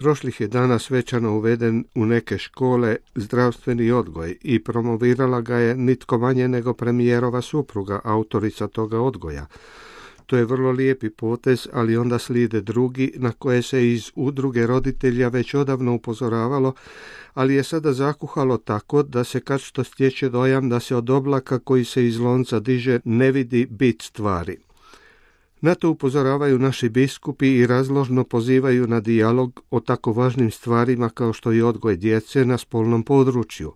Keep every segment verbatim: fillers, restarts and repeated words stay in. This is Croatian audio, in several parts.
Prošlih je dana svečano uveden u neke škole zdravstveni odgoj i promovirala ga je nitko manje nego premijerova supruga, autorica toga odgoja. To je vrlo lijepi potez, ali onda slijede drugi na koje se iz udruge roditelja već odavno upozoravalo, ali je sada zakuhalo tako da se kad što stječe dojam da se od oblaka koji se iz lonca diže ne vidi bit stvari. Na to upozoravaju naši biskupi i razložno pozivaju na dijalog o tako važnim stvarima kao što je odgoj djece na spolnom području.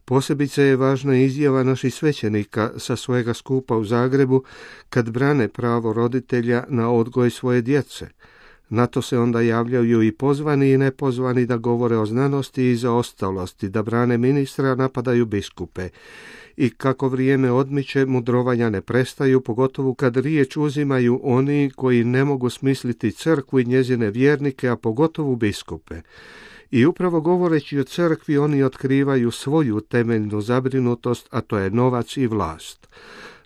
Posebice je važna izjava naših svećenika sa svojega skupa u Zagrebu kad brane pravo roditelja na odgoj svoje djece. Na to se onda javljaju i pozvani i nepozvani da govore o znanosti i zaostalosti, da brane ministra, napadaju biskupe. I kako vrijeme odmiče, mudrovanja ne prestaju, pogotovo kad riječ uzimaju oni koji ne mogu smisliti crkvu i njezine vjernike, a pogotovo biskupe. I upravo govoreći o crkvi, oni otkrivaju svoju temeljnu zabrinutost, a to je novac i vlast.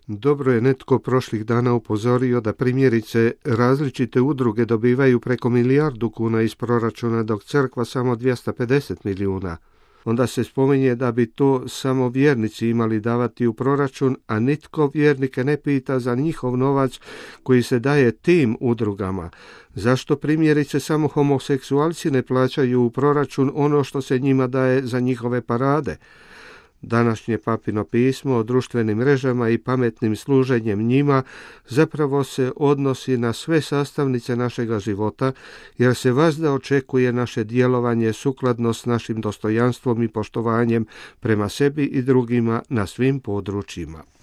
Dobro je netko prošlih dana upozorio da primjerice različite udruge dobivaju preko milijardu kuna iz proračuna, dok crkva samo dvjesto pedeset milijuna. Onda se spominje da bi to samo vjernici imali davati u proračun, a nitko vjernike ne pita za njihov novac koji se daje tim udrugama. Zašto primjerice samo homoseksualci ne plaćaju u proračun ono što se njima daje za njihove parade? Današnje papino pismo o društvenim mrežama i pametnim služenjem njima zapravo se odnosi na sve sastavnice našega života, jer se vazda očekuje naše djelovanje sukladno s našim dostojanstvom i poštovanjem prema sebi i drugima na svim područjima.